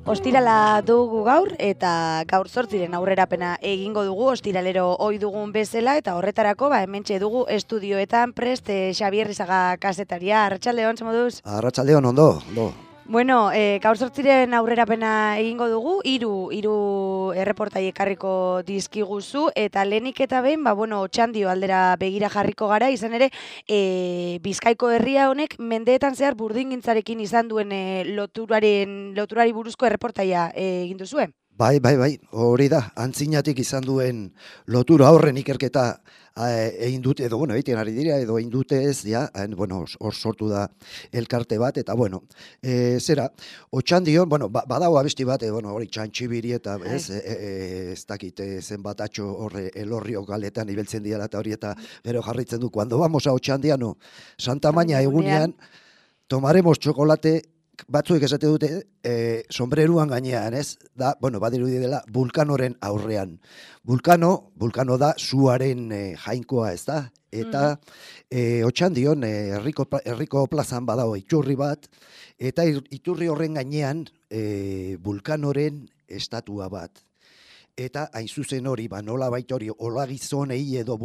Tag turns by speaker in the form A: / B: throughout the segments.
A: Ostirala dugu gaur eta gaur 8 aurrerapena egingo dugu ostiralero ohi dugun bezala eta horretarako hementxe dugu estudioetan prest Xabier Rizaga kazetaria. Arratsaldeon, ze moduz?
B: Arratsaldeon, ondo.
A: Bueno, gaur 8 aurrerapena egingo dugu, hiru erreportai ekarriko dizkiguzu eta lehenik eta behin, Otxandio aldera begira jarriko gara, izan ere, Bizkaiko herria honek mendeetan zehar burdingintzarekin izan duen loturari buruzko erreportaia egin duzue.
B: Bai, hori da, antzinatik izan duen lotura horren ikerketa egin dute, edo, egiten ari dira, edo egin dute ez, hor sortu da elkarte bat, eta, Otxandion, badago abesti bat, hori txantxibiri eta, ez dakit zenbat atxo horre elorrio galetan ibeltzen dira eta hori, eta gero jarritzen du, cuando vamos a Otxandiano, Santa Maña egunean, tomaremos chocolate, batzuek esate dute sombreruan gainean, ez? Da, badirudi dela Vulkanoren aurrean. Vulkano da suaren jainkoa, ez da? Eta Otxandion herriko plazan badago iturri bat, eta iturri horren gainean Vulkanoren estatua bat. Eta hain zuzen hori, nola baita hori, hola gizonei edo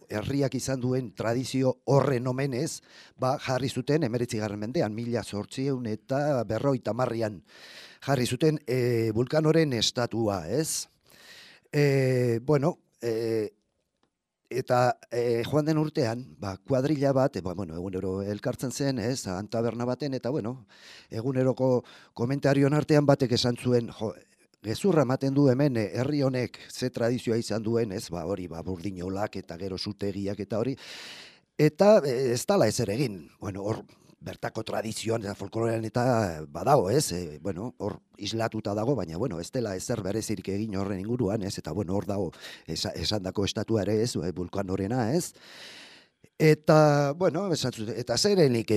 B: herriak izan duen tradizio horren omenez, jarri zuten 19. mendean, 1800 eta 50 jarri zuten Vulkanoren estatua, ez? Eta joan den urtean, kuadrilla bat, egunero elkartzen zen, ez, taberna baten, eta eguneroko komentarion artean batek esan zuen, gezurra ematen du hemen herri honek ze tradizioa izan duen, ez, hori, burdinolak eta gero zutegiak eta hori, eta ez dala ezer egin, hor bertako tradizioan eta folklorean eta badago, ez, hor islatuta dago, baina, ez dela ezer berezirik egin horren inguruan, ez, eta, hor dago esandako estatua ere, ez, Vulkanorena, ez, eta, eta zerenik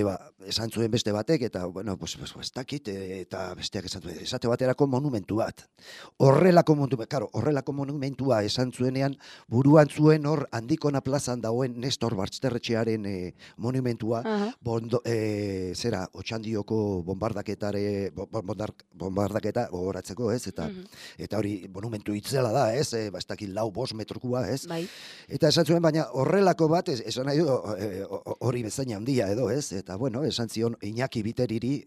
B: esan zuen beste batek, eta, ez dakit, eta besteak esan zuen, esate baterako monumentu bat. Horrelako monumentua esan zuenean, buruan zuen hor Andikona plazan dagoen Nestor Basterretxearen monumentua, Otxandioko bombardaketa gogoratzeko, ez, eta hori monumentu itzela da, ez, ez dakit 4-5 metrokoa, ez, eta esan zuen, baina horrelako bat, esan nahi du, hori bezaina handia edo, ez? Eta, esan zion Iñaki Biteriri,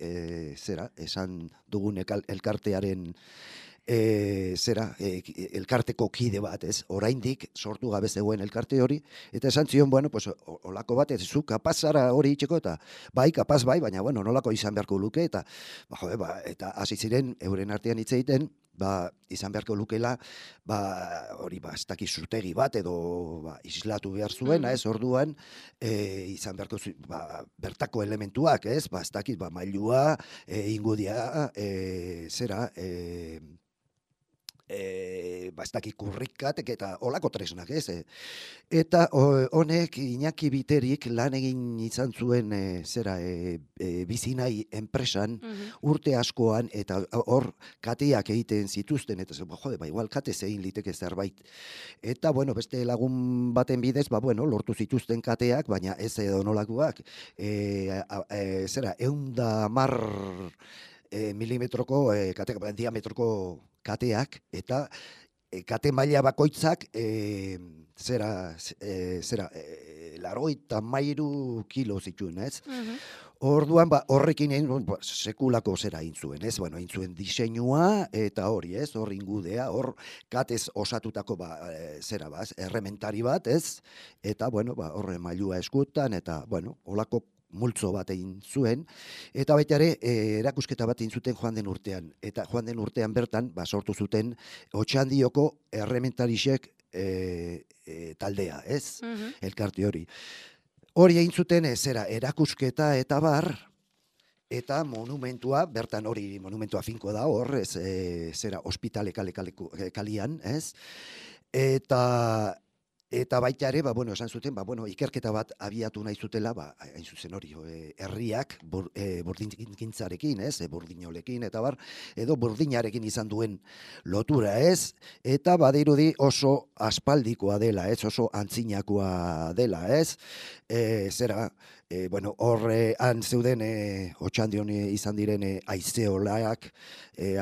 B: esan dugun elkartearen, elkarteko kide bat, ez? Oraindik sortu gabe zegoen elkarte hori, eta esan zion, olako bat, ez zu kapazara hori itxeko, eta kapaz bai, baina, nolako izan beharko luke, eta, eta hasi ziren euren artean hitz egiten, izan beharko lukela, hori, ez dakiz zutegi bat, edo islatu behar zuena, ez, orduan, izan beharko bertako elementuak, ez, ez dakiz, mailua, ingudia, ez dakit kurrikatek eta olako tresnak, ez? Eta honek Iñaki Biterik lan egin izan zuen bizinai enpresan urte askoan, eta hor kateak egiten zituzten, eta igual kate zein liteke zerbait. Eta, beste lagun baten bidez, lortu zituzten kateak, baina ez edo nolakoak, 110 milimetroko, diametroko kateak, eta kate maila bakoitzak 83 kilo zituen, ez? Orduan, horrekin sekulako zera egin zuen, ez? Egin zuen diseinua, eta hori, ez? Hor ingudea, hor katez osatutako errementari bat, ez? Eta, horre mailua eskutan, eta, holako multzo bat egin zuen, eta baita ere, erakusketa bat egin zuten joan den urtean. Eta joan den urtean bertan, sortu zuten Otxandioko errementarisek taldea, ez? Elkarte hori. Hori egin zuten erakusketa eta bar, eta monumentua, bertan hori monumentua finko da hor, ospitale kalian, ez? Eta Eta baita ere, esan zuten, ikerketa bat abiatu nahi zutela, hain zuzen hori, herriak burdingintzarekin, burdinolekin, eta edo burdinarekin izan duen lotura, eta badirudi oso aspaldikoa dela, oso antzinakoa dela, han zeuden Otxandion izan diren aizeolak,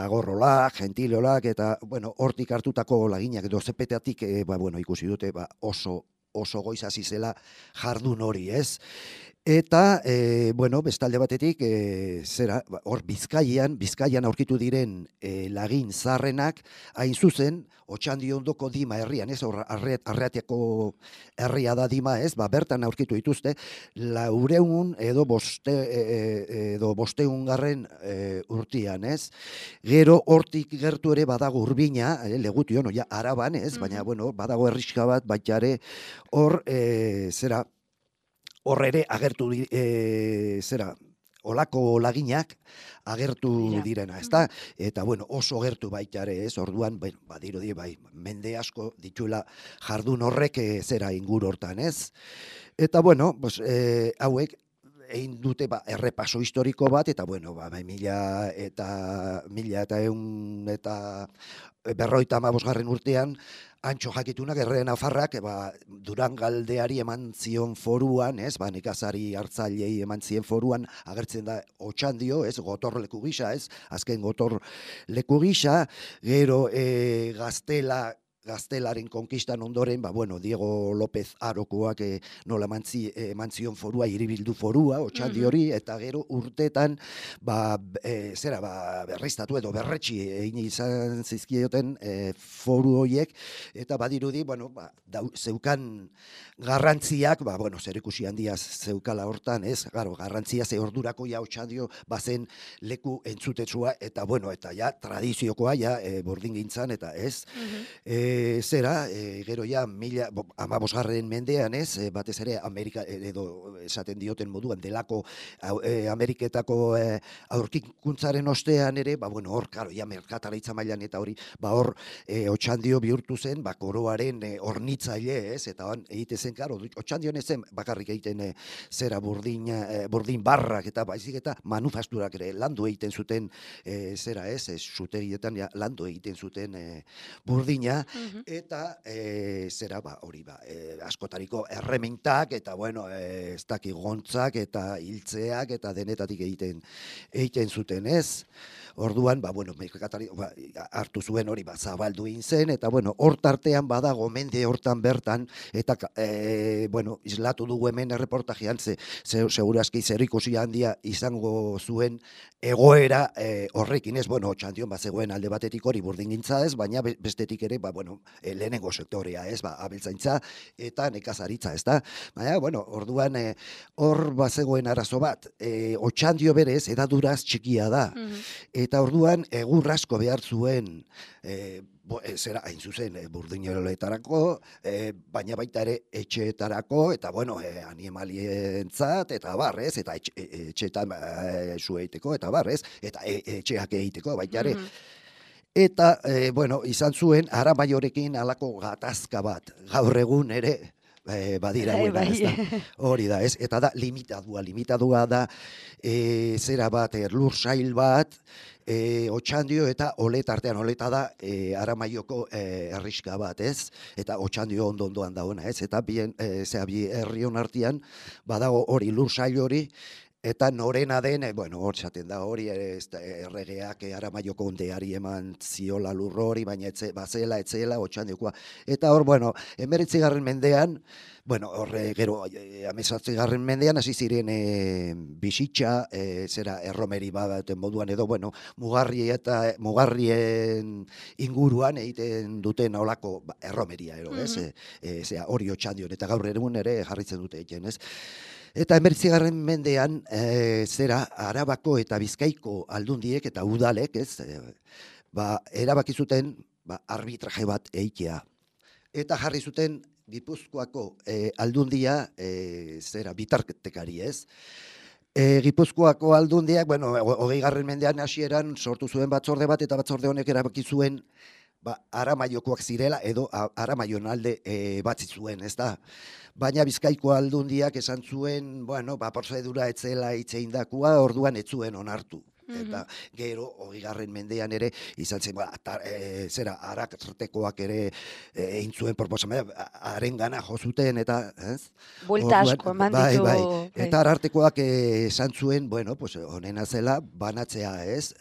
B: agorrolak, gentilolak, eta, hortik hartutako laginak, edo zepetatik, ikusi dute, oso goiz hasi zela jardun hori, Eta, bestalde batetik, hor Bizkaian aurkitu diren lagin zarrenak, hain zuzen, Otxandiondoko Dima herrian, hor Arratiako herria da Dima, bertan aurkitu dituzte, 400 edo 500 urtean, Gero hortik gertu ere badago Urbina, Legutio, Araban, baina, badago herrixka bat, baita ere, hor, hor ere agertu olako laginak agertu direna, ezta? Eta, oso gertu baita ere, orduan, badirudi, mende asko dituela jardun horrek inguru hortan, Eta, hauek, egin dute errepaso historiko bat, eta, 1150 urtean, Antxo jakitunak Erre Nafarrak Durangaldeari eman zion foruan, nekazari hartzailei eman zien foruan, agertzen da Otxandio, gotorleku gisa, azken gotorleku gisa, gero Gaztelaren konkistan ondoren, Diego López Arokoak nola eman zion forua, hiribildu forua, Otxandi hori, eta gero urtetan, berriztatu edo berretxi egin izan zizkioten foru horiek, eta badirudi, zeukan garrantziak, zerikusi handia zeukala hortan, garrantzia ze ordurako Otxandio bazen leku entzutetsua, eta tradiziokoa, burdingintzan, eta gero ja, 15. mendean, batez ere Amerika, edo esaten dioten moduan, delako Ameriketako aurkikuntzaren ostean ere, hor, merkataritza mailan eta hori, hor, Otxandio bihurtu zen, koroaren hornitzaile, eta egite zen, Otxandion ezen bakarrik egiten burdin barrak, eta baizik eta manufasturak ere landu egiten zuten, zutegietan landu egiten zuten burdina, eta hori askotariko erremintak, eta ez daki gontzak, eta hiltzeak, eta denetatik egiten zuten, Orduan, hartu zuen hori zabaldu egin zen, eta hor tartean badago mende hortan bertan, eta islatu dugu hemen erreportajean, segurazki zerikusi handia izango zuen egoera horrekin, Otxandion zegoen alde batetik hori burdingintza baina bestetik ere, lehenengo sektorea, abeltzaintza eta nekazaritza, Baina, orduan hor zegoen arazo bat, Otxandio berez edaduraz txikia da, eta orduan egur asko behar zuen, hain zuzen, burdineroletarako, baina baita ere etxeetarako, eta animalientzat, eta barrez, eta etxeetan zu egiteko, eta barrez, eta etxeak egiteko, baita ere. Eta, izan zuen, Aramaiorekin halako gatazka bat, gaur egun ere, badira guena, hori da, eta da limitadua da, lur sail bat, Otxandio eta Olet artean, Oleta da Aramaioko herriska bat, eta Otxandio ondoan dagoena, eta bi herrion artean badago hori lur sail hori, eta norena den, hor txaten da hori, erregeak Aramaioko ondeari eman ziola lur hori, baina bazela, etzela, Otxandiokoa. Eta hor, 19. mendean, gero, 18. mendean, hasi ziren bizitza, erromeri baten moduan edo, mugarrien inguruan egiten duten olako erromeria, hori Otxandion, eta gaur egun ere jarritzen dute egiten, Eta 19. mendean, Arabako eta Bizkaiko aldundiek eta udalek, erabaki zuten arbitraje bat egitea. Eta jarri zuten Gipuzkoako aldundia bitartekari, Gipuzkoako aldundiak, 20. mendean hasieran sortu zuen batzorde bat, eta batzorde honek erabaki zuen Aramaiokoak zirela edo Aramaion alde batzi zuen, ez da? Baina Bizkaiko Aldundiak esan zuen, bueno, prozedura etzela itzeindakua, orduan ez zuen onartu. Eta gero, 20. mendean ere, izan zen, zera, Arartekoak ere egin zuen proposamena, harengana jo zuten, eta, ez?
A: Buelta asko eman ditu.
B: Bai. Eta Arartekoak esan zuen, bueno, pues, honena zela, banatzea, ez?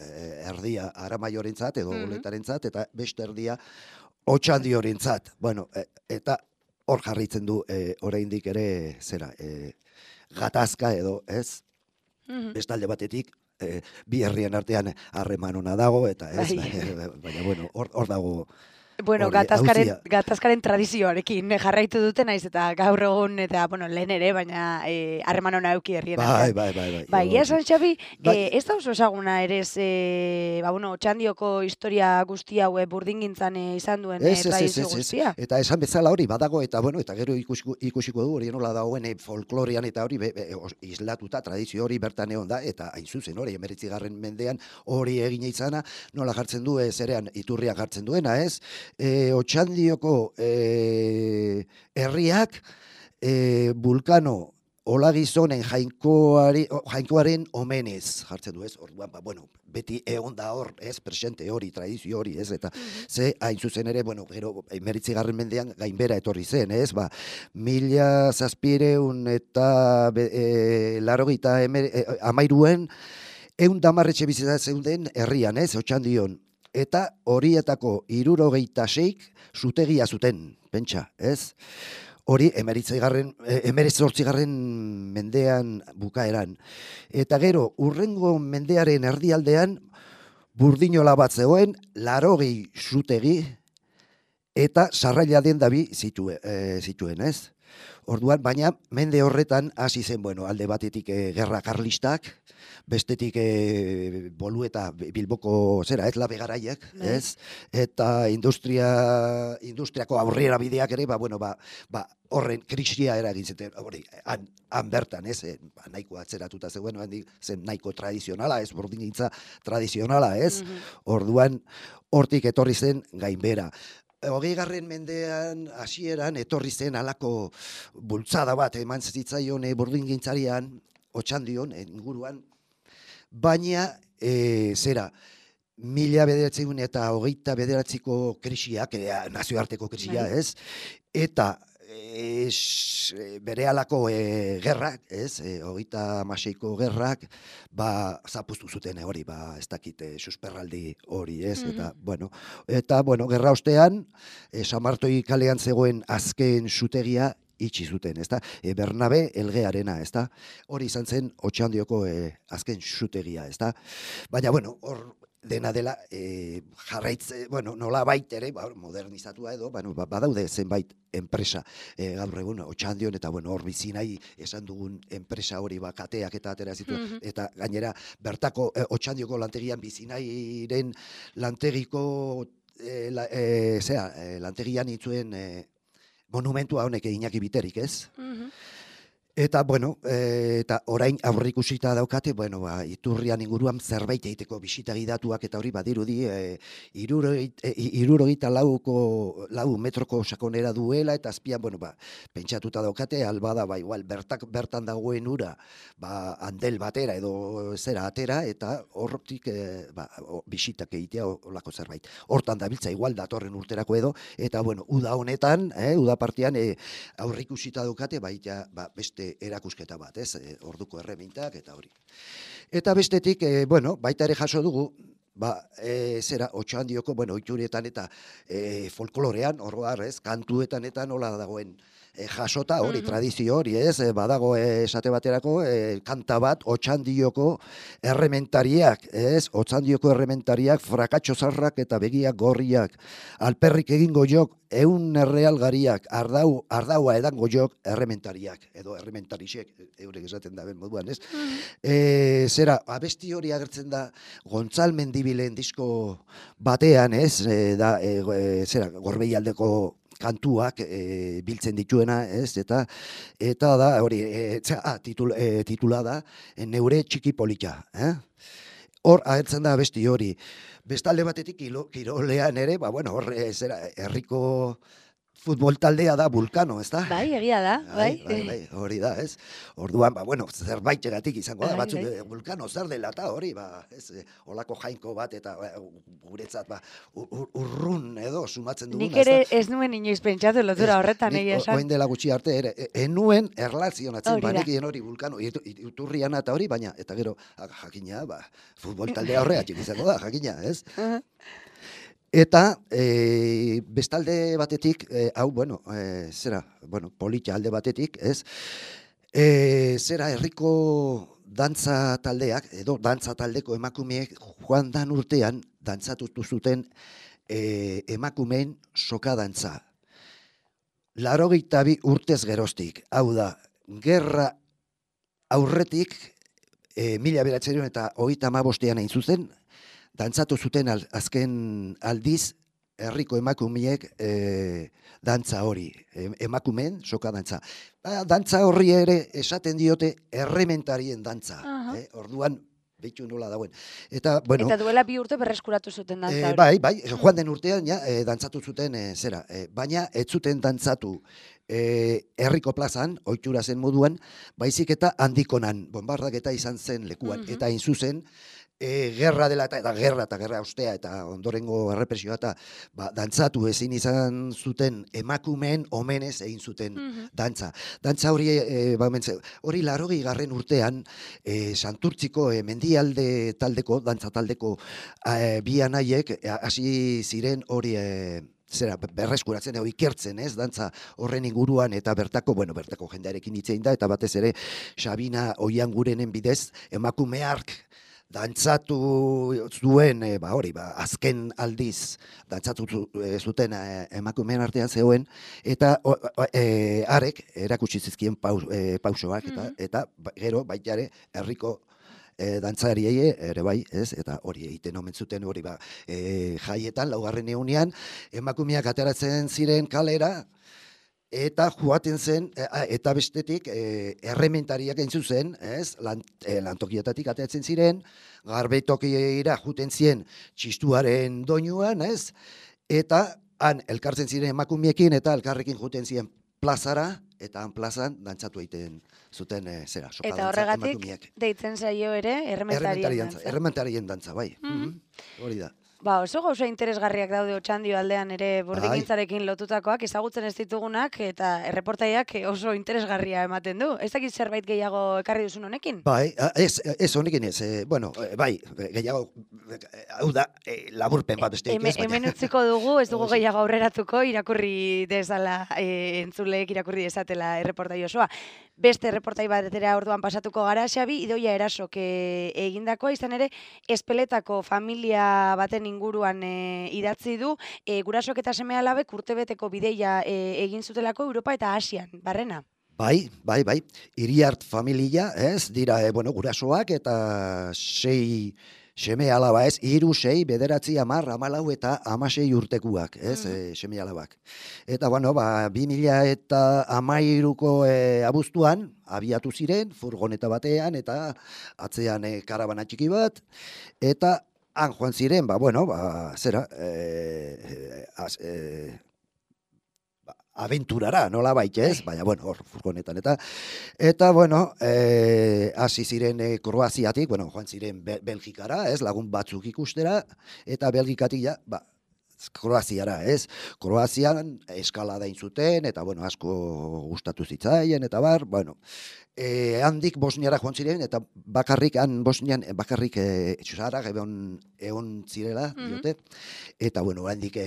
B: Erdia Aramaiorentzat edo Boletarentzat, eta beste erdia Otxandiorentzat. Bueno, eta hor jarritzen du oraindik ere, zera, gatazka edo, ez? Bestalde batetik, bi herrien artean harreman ona dago, eta ez, baina, bueno, hor dago.
A: Bueno, gatazkaren tradizioarekin jarraitu dute naiz eta gaur egun eta bueno, lehen ere, baina harreman ona eduki herrien artean. Bai, esan Xabi, ez da oso esaguna ere bueno, Otxandioko historia guzti hau burdingintzan izan duen tradizio guztia.
B: Eta esan bezala hori badago eta bueno, eta gero ikusiko du hori nola dagoen folklorean eta hori islatuta tradizio hori bertan egon da eta hain zuzen hori 19. mendean hori egin izana nola jartzen du zerean iturriak jartzen duena, ez? Otxandioko herriak Vulcano Olagizonen jainkoaren omenez jartzen du, ez? Orduan, bueno, beti egon da hor, ez? Presente hori, tradizio hori, ez? Eta ze hain zuzen ere, bueno, gero 19. mendean gainbera etorri zen, ez? 1700 eta 83 110 etxebizitza zeuden herrian, ez? Otxandion. Eta horietako 76 zutegia zuten, pentsa, ez? Hori 18. mendean bukaeran. Eta gero, urrengo mendearen erdialdean, burdinola bat zegoen, 80 zutegi, eta sarraila den dabi zituen, ez? Orduan, baina mende horretan hasi zen, bueno, alde batetik gerra karlistak, bestetik Bolueta Bilboko zera, ez labe garaiak, ez? Eta industriako aurrera bideak ere, horren krisia eragin zuten, hori, han bertan, ez? Nahiko atzeratuta zegoen, zen nahiko tradizionala, ez? Burdingintza tradizionala, ez? Orduan, hortik etorri zen gainbera. 20. mendean hasieran etorri zen halako bultzada bat eman zitzaion burdingintzarian, Otxandion, inguruan, baina, 1929ko krisiak, nazioarteko krisia, ez? Eta bere halako gerrak, ez? 36ko gerrak, zapuztu zuten hori, ez dakit susperraldi hori, ez? Eta, bueno, gerra ostean, Samartoi kalean zegoen azken zutegia itxi zuten, ezta? Bernabe Elgearena, ezta? Hori izan zen Otxandioko azken zutegia, ezta? Baina, bueno, hor dena dela jarraitze, bueno, nola baitere, modernizatua edo, badaude zenbait enpresa gaur egun Otxandion, eta bueno, hor bizi nahi esan dugun enpresa hori kateak eta atera zituen, eta gainera bertako Otxandioko lantegian bizi nahiren lantegiko lantegian itzuen monumentua honek Iñaki Biterik, ez? Eta, bueno, eta orain aurrikusita daukate, bueno, iturrian inguruan zerbait egiteko bisitagi datuak eta hori badirudi 74 metroko sakonera duela eta azpian, bueno, pentsatuta daukate, albada, igual, bertan dagoen ura, handel batera edo zera atera, eta hortik bisitak egitea olako zerbait. Hortan dabiltza, igual, datorren urterako edo, eta, bueno, uda honetan, uda partian aurrikusita daukate, beste erakusketa bat, ez? Orduko erremintak eta hori. Eta bestetik, bueno, baita ere jaso dugu, Otxandioko, bueno, oiturietan eta folklorean, oroar, ez? Kantuetan eta nola dagoen jasota hori, tradizio hori, ez? Badago esate baterako, kanta bat, Otxandioko errementariak, ez? Otxandioko errementariak, frakatxo zarrak eta begiak gorriak, alperrik egingo jok, 100 errealgariak, ardaua edango jok, errementariak, edo errementarisek, eurek esaten da ben moduan, ez? Abesti hori agertzen da, Gontzal Mendibilen disko batean, ez? Gorbeialdeko kantuak biltzen dituena, ez? Eta da, hori, titula da, Neure txiki polita, Hor agertzen da abesti hori. bestalde batetik kirolean ere, ba, bueno, horre, zera, herriko futbol taldea da Vulcano, ez da?
A: Bai, egia da, bai.
B: Hori da, ez? Orduan, ba, bueno, zerbaitegatik izango da,
A: Bai,
B: batzuk
A: bai.
B: Vulcano zer dela eta hori, ba, ez, olako jainko bat eta guretzat, ba, urrun edo sumatzen duguna,
A: Nik ere ez nuen inoiz pentsatu lotura horretan, egia esan.
B: Oin dela gutxi arte ere, enuen erlazionatzen,
A: Hori da.
B: banekien hori Vulcano, iturriana eta hori, baina, eta gero, jakina, ba, futbol taldea horregatik izango da, jakina, ez? Eta bestalde batetik, hau, bueno, zera, bueno, polita alde batetik, ez? Zera, herriko dantza taldeak, edo dantza taldeko emakumeek joan dan urtean dantzatutu zuten emakumeen soka dantza. 82 urtez geroztik, hau da, gerra aurretik, 1935ean hain zuzen, dantzatu zuten azken aldiz herriko emakumeek dantza hori, emakumeen soka dantza. Dantza horri ere esaten diote errementarien dantza. Orduan, behitu nola dauen. Eta, bueno,
A: eta duela 2 urte berreskuratu zuten dantza hori.
B: Bai, joan den urtean ja, dantzatu zuten zera. Baina ez zuten dantzatu herriko plazan, ohitura zen moduan, baizik eta handikonan, bombardaketa izan zen lekuan. Eta hain zuzen, gerra dela eta gerra ostea eta ondorengo errepresioa eta dantzatu ezin izan zuten emakumeen omenez egin zuten dantza. Dantza hori, hori 80. urtean Santurtziko mendialde taldeko, dantza taldeko bi anaiek hasi ziren hori zera, berreskuratzen, ikertzen, ez, dantza horren inguruan, eta bertako jendearekin hitz egin da, eta batez ere Sabina Oiangurenen bidez emakume hark dantzatu zuen, azken aldiz dantzatu zuten emakumeen artean zegoen, eta harek erakutsi zizkien pausoak, eta gero baitare herriko dantzariei ere bai, ez, eta hori egiten omen zuten hori jaietan, 2. egunean, emakumeak ateratzen ziren kalera, eta joaten zen, eta bestetik, errementariak hain zuzen, ez, lantokietatik ateratzen ziren, garbetokira juten ziren txistuaren doinuan, ez, eta han elkartzen ziren emakumiekin, eta elkarrekin juten ziren plazara, eta han plazan dantzatu egiten zuten, zera, soka dantza emakumeak.
A: Eta horregatik, deitzen zaio ere, errementarien dantza.
B: Errementarien dantza, bai, hori da.
A: Oso gauza interesgarriak daude Otxandio aldean ere burdingintzarekin lotutakoak, ezagutzen ez ditugunak, eta erreportaiak oso interesgarria ematen du. Ez dakit zerbait gehiago ekarri duzun honekin?
B: Bai, ez honekin ez, bai, gehiago, hau da, laburpen bat besteik ez, baina.
A: Hemen utziko dugu, ez dugu gehiago aurreratuko, irakurri dezala, entzuleek irakurri dezatela erreportai osoa. Beste erreportai batera orduan pasatuko gara, Xabi, Idoia Erasok egindakoa, izan ere, Espeletako familia baten inguruan idatzi du, gurasok eta seme-alabek urtebeteko bideia egin zutelako Europa eta Asian, barrena?
B: Bai. Iriart familia, ez, dira, gurasoak eta 6 seme-alaba, ez, 3, 6, 9, 10, 14 eta 16 urtekuak, ez, seme-alabak. Eta, 2013ko abuztuan, abiatu ziren, furgoneta batean, eta atzean karabana txiki bat, eta han joan ziren, zera, aventurara, nola baita ez, baina, hor, furgonetan, eta, hasi ziren Kroaziatik, joan ziren Belgikara, ez, lagun batzuk ikustera, eta Belgikatik, Kroaziara, ez, Kroazian eskalada zuten, eta, asko gustatu zitzaien, eta bar, handik Bosniara joan ziren, eta Bosnian bakarrik txusarak egon zirela, diote, eta, handik,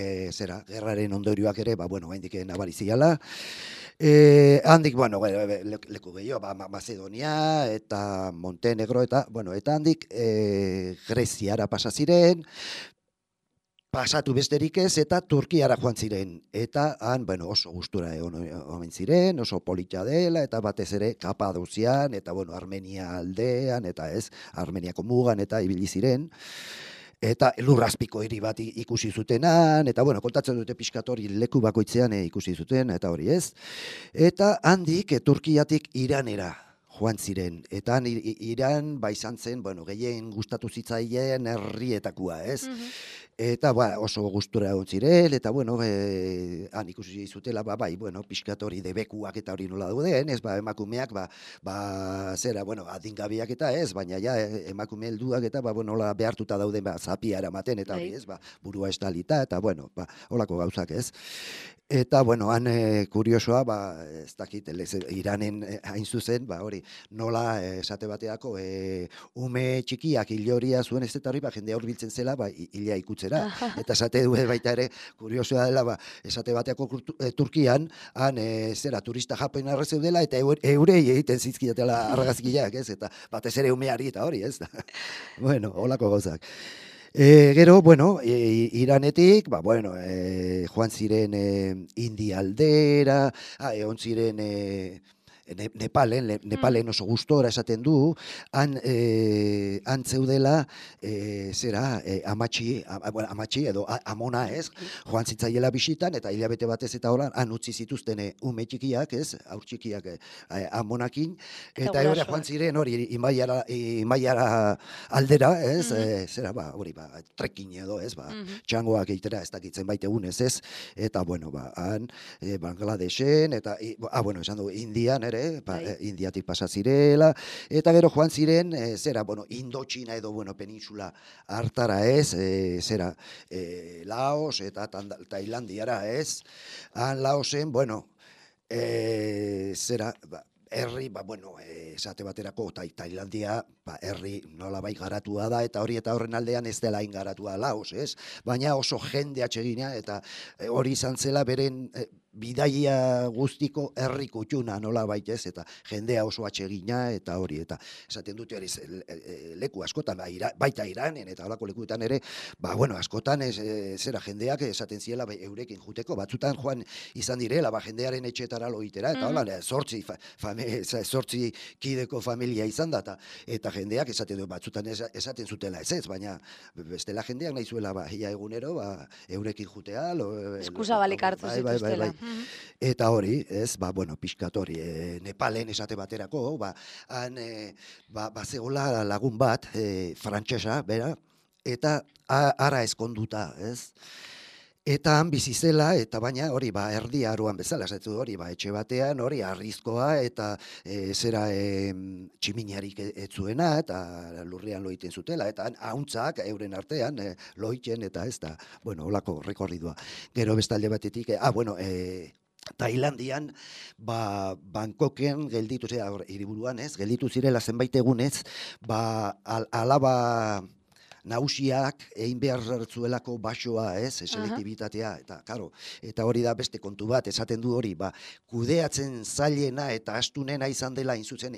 B: gerraren ondorioak ere, handik nabari ziala, handik, leku gehiago, Macedonia, eta Montenegro, eta handik Greziara pasa ziren, pasatu besterik ez, eta Turkiara joan ziren. Eta han, oso gustura omen ziren, oso polita dela, eta batez ere Kapadozian, eta Armenia aldean, eta ez, Armeniako mugan, eta ibili ziren. Eta lurrazpiko hiri bat ikusi zutenan, eta kontatzen dute pixkatori leku bakoitzean ikusi zuten, eta hori ez. Eta handik Turkiatik Iranera joan ziren. Eta Iran, izan zen, bueno, gehien gustatu zitzaien herrietakoa, ez? Eta oso gustura egon ziren, eta bueno, han ikusi zutela, bai, bueno, pixkat hori debekuak eta hori nola dauden, ez, emakumeak, zera, bueno, adingabiak eta ez, baina ja, emakume helduak eta, bueno, nola behartuta dauden, zapia eramaten, eta hori, ez, burua estalita, eta bueno, holako gauzak, ez. Eta, bueno, han kuriosoa, ez dakit, Iranen hain zuzen, hori, nola esate bateako ume txikiak hiloria zuen ez eta hori, jendea hurbiltzen zela, hilea ikutzera. Eta esate du baita ere, kuriosoa dela, esate bateako Turkian, han zera turista japen arrezeudela, eta eurei egiten zizkiatela argazkiak, ez? Eta batez ere umeari eta hori, ez? Bueno, holako gauzak. Gero, bueno, Iranetik, joan ziren India aldera, egon ziren Nepalen oso gustora esaten du, han zeudela, amatxi edo amona, ez, joan zitzaiela bisitan, eta hilabete batez eta horan, han utzi zituzten ume txikiak, ez, aur txikiak amonakin, eta hori joan ziren hori imaiara aldera, ez, hori, trekkin edo, ez, txangoak eitera, ez dakitzen baite egunez, ez, eta, bueno, han, Bangladesen, eta, bueno, esan du, Indian, Indiatik pasa zirela, eta gero joan ziren, Indotxina edo, peninsula hartara ez, Laos eta Tailandiara ez, Laosen, herri, esate baterako, Tailandia, herri nolabait garatua da, eta hori eta horren aldean ez dela ingaratua Laos, ez? Baina oso jende atsegina, eta hori izan zela beren bidaia guztiko herri kutxuna nolabait ez, eta jendea oso atsegina, eta hori, eta esaten dute hori leku askotan, baita Iranen, eta horako lekuetan ere, askotan jendeak esaten ziela eurekin juteko, batzutan joan izan direla, jendearen etxetara loitera, eta hola, zortzi kideko familia izan da, eta jendeak esaten du, batzutan esaten zutela ez, baina bestela jendeak nahi zuela, ia egunero, eurekin jutea,
A: eskusa balik hartu zituztela.
B: Eta hori, ez, pixkat hori, Nepalen esate baterako, zegoela lagun bat, frantsesa, bera, eta ara eskonduta, ez? Eta han bizi zela, eta baina hori, erdi aroan bezala, esatzen hori, etxe batean, hori, arrizkoa, eta tximiniarik ez zuena, eta lurrean loiten zutela, eta hauntzak euren artean loiten, eta ez da, holako rekorridua. Gero bestalde batetik, Tailandian, Bangkoken gelditu zirela, hiriburuan ez, gelditu zirela zenbait egunez, alaba nausiak egin behar zuelako basoa, ez, selektibitatea, eta, karo, eta hori da beste kontu bat, esaten du hori, kudeatzen zailena eta astunena izan dela inzuzen,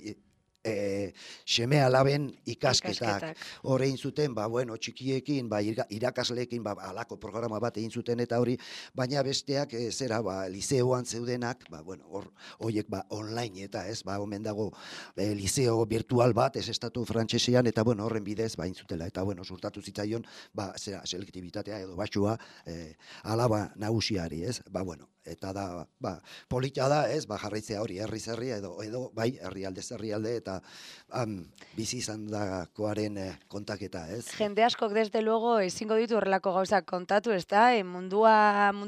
B: seme alaben ikasketak. Hore egin zuten, txikiekin, irakasleekin, alako programa bat egin zuten eta hori, baina besteak, liceoan zeudenak, horiek online eta ez, omen dago liceo virtual bat, ez estatu frantsesean, eta horren bidez, egin zutela, eta surtatu zitzaion, selektibitatea edo basua, alaba nagusiari, ez, eta da, polita da, ez, jarraitzea hori, herri edo, herrialde, eta bizi izan dakoaren kontaketa, ez?
A: Jende askok desde luego ezingo ditu horrelako gauzak kontatu, ez da? Mundu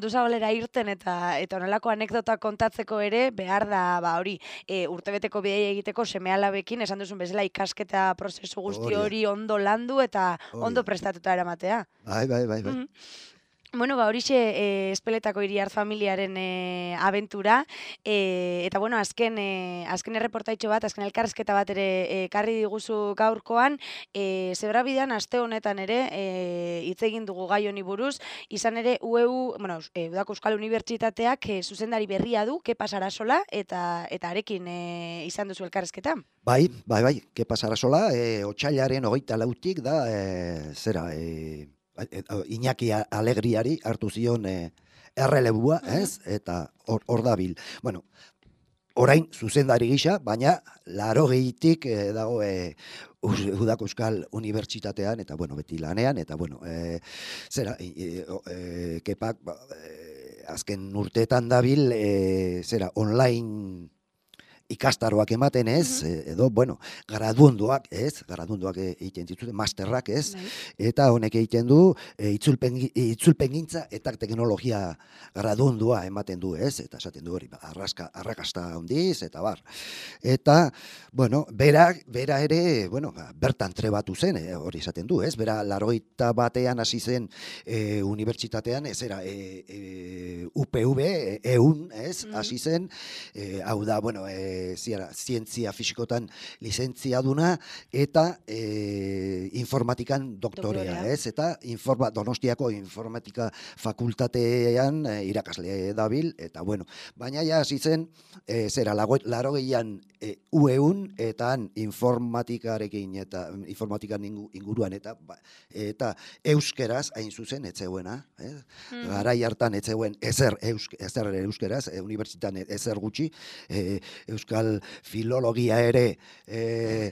A: zabalera irten eta horrelako anekdota kontatzeko ere behar da, hori, urtebeteko bidea egiteko seme-alabekin, esan duzun bezala ikasketa prozesu guzti hori ondo landu eta ondo prestatuta eramatea.
B: Bai.
A: Bueno, horixe Espeletako Iriart familiaren abentura, eta azken erreportaitxo bat, azken elkarrezketa bat ere ekarri diguzu gaurkoan, Zebrabidean aste honetan ere hitz egin dugu gai honi buruz, izan ere Udako Euskal Unibertsitateak zuzendari berria du, Kepa Sarasola, eta arekin izan duzu elkarrezketa.
B: Bai, Kepa Sarasola, otsailaren 24 da, Iñaki Alegriari hartu zion errelebua, ez? Eta hor dabil. Orain zuzendari gisa, baina 80tik dago Udako Euskal Unibertsitatean, eta beti lanean, eta Kepak azken urteetan dabil online ikastaroak ematen ez, edo, bueno, gradunduak egiten dituzte, masterrak ez, eta honek egiten du itzulpengintza eta teknologia gradundua ematen du ez, eta esaten du hori, arrakasta handiz, eta bar. Eta, bueno, bera ere, bueno, bertan trebatu zen, hori esaten du, ez, bera 81 hasi zen unibertsitatean, ez era, UPV, EUN, ez, hasi zen, hau da, bueno, zientzia fisikotan lizentziaduna eta informatikan doktorea, ez? Eta Donostiako informatika fakultatean irakasle dabil, eta bueno, baina ja hasi zen, 80an UEUN eta informatikarekin eta informatikan inguruan eta euskeraz hain zuzen etzegoena, garai hartan etzegoen ezer euskeraz, unibertsitatean ezer gutxi, euskal filologia ere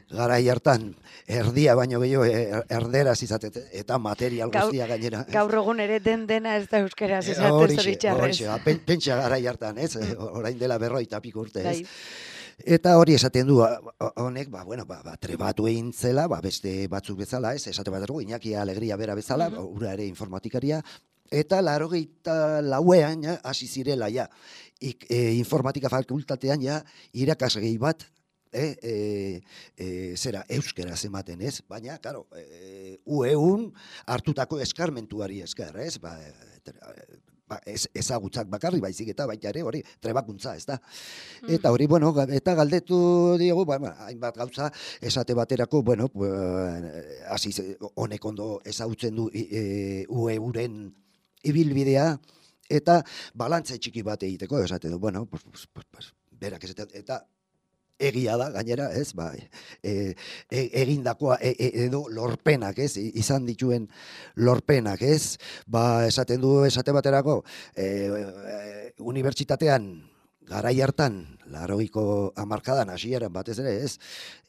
B: garai hartan erdia baino gehiago erderaz izaten, eta material guztia gainera.
A: Gaur egun ere dena ez da euskeraz izaten zoritxarrez.
B: Pentsa garai hartan, ez? Orain dela 50 piko urte, ez? Eta hori esaten du, honek, trebatu egin zela, beste batzuk bezala, ez? Esate bat ergo, Iñaki Alegria bera bezala, ura ere informatikaria, eta 84an hasi zirela, informatika fakultatean irakasgei bat, euskeraz ematen, ez? Baina, karo, UEUN hartutako eskarmentuari esker, ez? Ezagutzak bakarri baizik eta baita ere hori trebakuntza, ez da. Eta hori, bueno, eta galdetu diogu, hainbat gauza esate baterako, bueno, honek ondo ezagutzen du UEUren ibilbidea, eta balantze txiki bat egiteko, esate du, bueno, berak esaten, eta egia da, gainera, ez, egindakoa edo lorpenak, ez, izan dituen lorpenak, ez, esaten du, esate baterako, unibertsitatean garai hartan, 80ko hamarkadan hasieran batez ere, ez,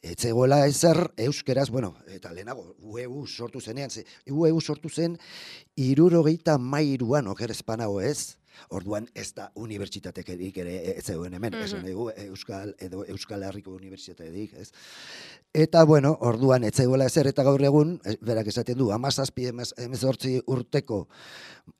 B: etzegoela ezer euskeraz, bueno, eta lehenago, UEU sortu zenean, UEU sortu zen 73an okerezpanago, ez, orduan ez da unibertsitatekerik ere ez zegoen hemen, Euskal Herriko unibertsitaterik, ez? Eta, bueno, orduan ez zegoela ezer, eta gaur egun, berak esaten du, 17-18 urteko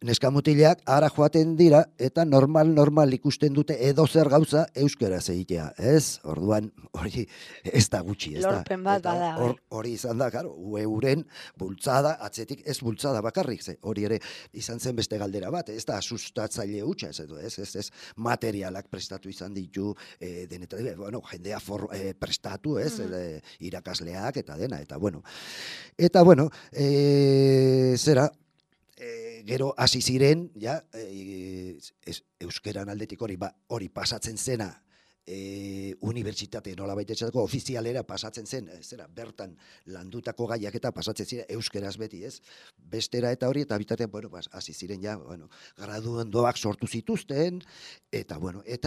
B: neskamutilak ara joaten dira, eta normal ikusten dute edozer gauza euskeraz egitea, ez? Orduan, hori ez da gutxi, ez da?
A: Lorpen bat bada.
B: Hori izan da, karo, UEUren bultzada, atzetik ez bultzada bakarrik, hori ere izan zen beste galdera bat, ez da sustatzaile hutsa, ez materialak prestatu izan ditu, jendea prestatu, ez, irakasleak eta dena, eta bueno, gero hasi ziren, euskeran aldetik hori pasatzen zena, unibertsitate nolabait esateko ofizialera pasatzen zen, bertan landutako gaiak eta pasatzen ziren euskeraz beti, ez? Bestera eta hori, eta bitatean, hasi ziren graduandoak sortu zituzten, eta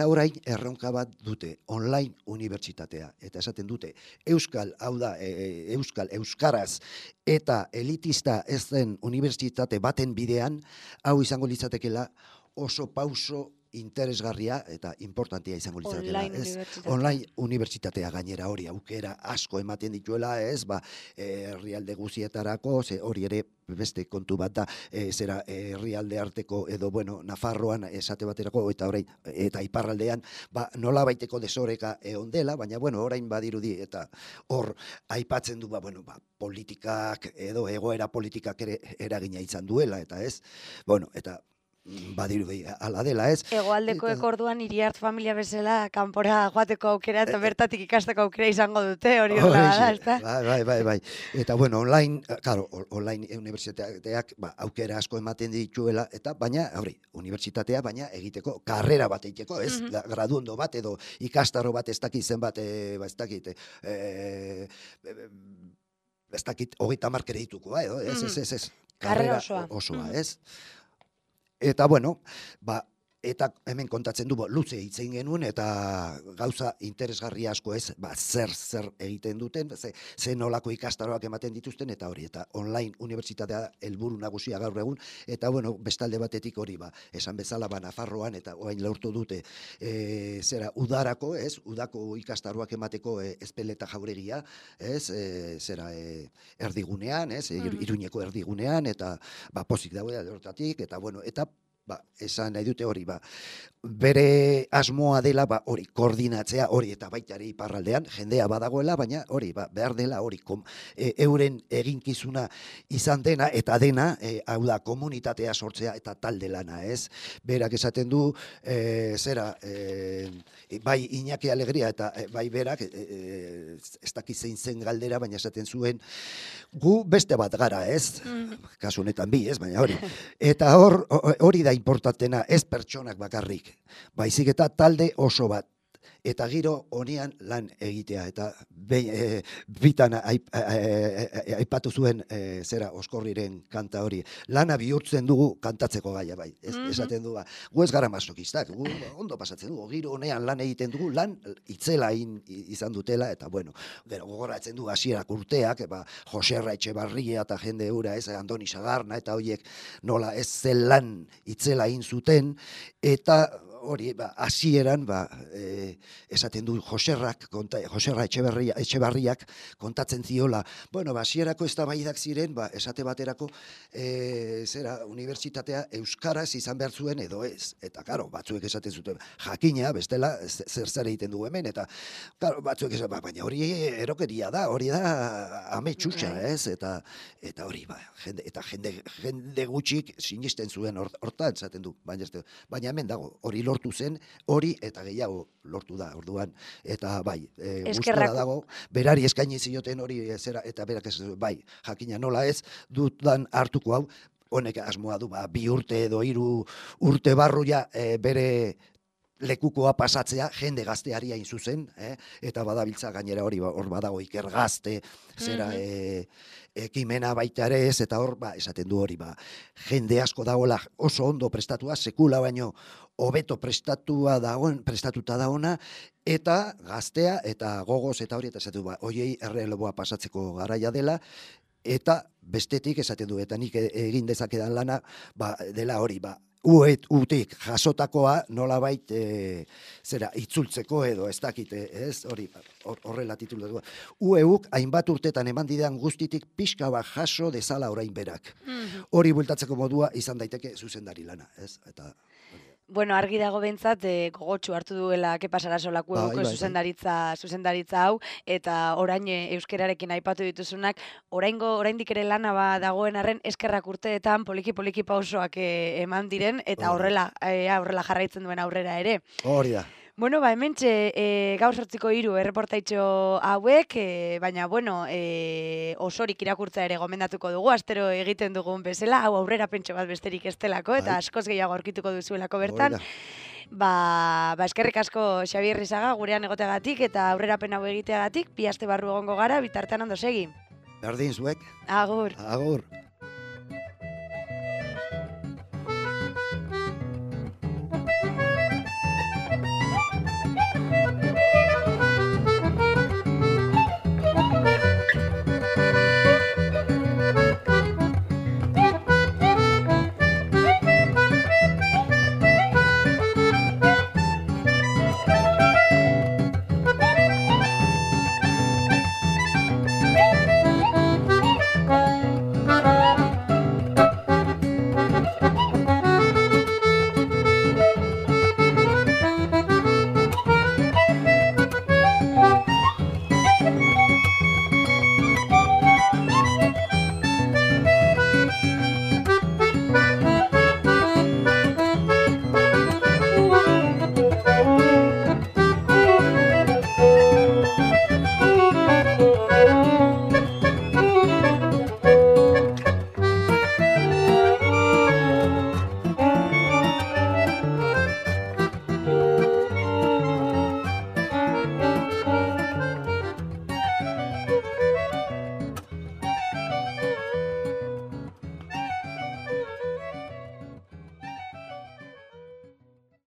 B: orain erronka bat dute, online unibertsitatea, eta esaten dute, euskaraz eta elitista ez den unibertsitate baten bidean, hau izango litzatekela oso pauso interesgarria eta importantia izango litzatekeela, ez? Online unibertsitatea gainera hori aukera asko ematen dituela, ez? Herrialde guztietarako, hori ere beste kontu bat da, herrialde arteko edo, Nafarroan esate baterako, eta orain, eta iparraldean, nola baiteko desoreka egon dela, baina, orain badirudi, eta hor aipatzen du, politikak edo egoera politikak ere eragina izan duela, eta ez, eta badirudi ala dela, ez?
A: Hegoaldekoek orduan Iriart familia bezala kanpora joateko aukera eta bertatik ikasteko aukera izango dute, hori horrela da, ezta?
B: Bai. Eta online, claro, online unibertsitateak aukera asko ematen dituela, eta baina, unibertsitatea, baina egiteko, karrera bat egiteko, ez? Graduondo bat edo ikastaro bat ez dakit zenbat, ez dakit, 30 kreditukoa, ez?
A: Karrera osoa,
B: ez? Eta, Eta hemen kontatzen du, luze hitz egin genuen, eta gauza interesgarri asko ez, zer egiten duten, ze nolako ikastaroak ematen dituzten, eta hori, eta online unibertsitatea helburu nagusia gaur egun, eta bueno, bestalde batetik hori, esan bezala, Nafarroan, eta orain lortu dute, udarako, ez, udako ikastaroak emateko Ezpeleta jauregia, ez, erdigunean, ez, Iruñeko erdigunean, eta pozik daude hortatik, eta bueno, eta esan nahi dute hori, bere asmoa dela, hori, koordinatzea, hori, eta baita ere iparraldean, jendea badagoela, baina hori, behar dela, hori, euren eginkizuna izan dena, eta dena, hau da, komunitatea sortzea, eta talde lana, ez? Berak esaten du, bai Iñaki Alegria, eta bai berak, ez dakit zein zen galdera, baina esaten zuen, gu beste bat gara, ez? Kasu honetan bi, ez? Baina hori. Eta hori da importantena, ez pertsonak bakarrik, baizik eta talde oso bat. Eta giro honian lan egitea, eta bitan aipatu zuen Oskorriren kanta hori. Lana bihurtzen dugu kantatzeko gaia, bai. Esaten du, gu ez gara masokistak, gu ondo pasatzen dugu, giro honean lan egiten dugu, lan itzela izan dutela, eta bueno, gogoratzen du hasierak urteak, Joserra Etxebarria eta jende hura, ez, Andoni Sagarna, eta horiek nola ez zen lan itzela egin zuten, eta hori, hasieran, esaten du Joserra Etxebarriak kontatzen ziola, bueno, hasierako eztabaidak ziren, esate baterako, unibertsitatea euskaraz izan behar zuen edo ez, eta karo, batzuek esaten zuten, jakina, bestela, zer egiten du hemen, eta karo, batzuek esaten, baina hori erokeria da, hori da ametsusa, ez, eta hori, jende gutxik sinisten zuen hortan, esaten du, baina hemen dago, hori lortu zen, hori eta gehiago lortu da, orduan, eta bai, gustora dago, berari eskaini zioten hori, eta berak ez, bai, jakina nola ez, dudan hartuko hau, honek asmoa du, 2 urte edo 3 urte barru ja bere lekukoa pasatzea, jende gazteari hain zuzen, eta badabiltza gainera hori, hor badago Iker Gazte, ekimena baita ere ez, eta hor, esaten du hori, jende asko dagoela oso ondo prestatua, sekula baino hobeto prestatuta dagoena, eta gaztea, eta gogoz, eta hori, eta esaten du, hoiei erreleboa pasatzeko garaia dela, eta bestetik esaten du, eta nik egin dezakedan lana, dela hori, utik jasotakoa nolabait itzultzeko edo ez dakite, ez? Hori horrela titulatu. Ueuk hainbat urtetan eman didan guztitik pixka bat jaso dezala orain berak. Hori bueltatzeko modua izan daiteke zuzendari lana, ez? Eta
A: bueno, argi dago behintzat, gogotsu hartu duela Kepa Sarasolako zuzendaritza hau, eta orain euskerarekin aipatu dituzunak, oraindik ere lana dagoen arren eskerrak urteetan poliki pausoak eman diren, eta horrela jarraitzen duen aurrera ere.
B: Hori da.
A: Bueno, hementxe gaur 8:03 erreportaitxo hauek, baina, bueno, osorik irakurtza ere gomendatuko dugu, astero egiten dugun bezala, hau aurrera pentso bat besterik ez delako, eta askoz gehiago aurkituko duzuelako bertan. Eskerrik asko Xabier Rizaga gurean egoteagatik eta aurrerapen hau egiteagatik, 2 aste barru egongo gara, bitartean ondo segi.
B: Berdin zuek.
A: Agur.
B: Agur.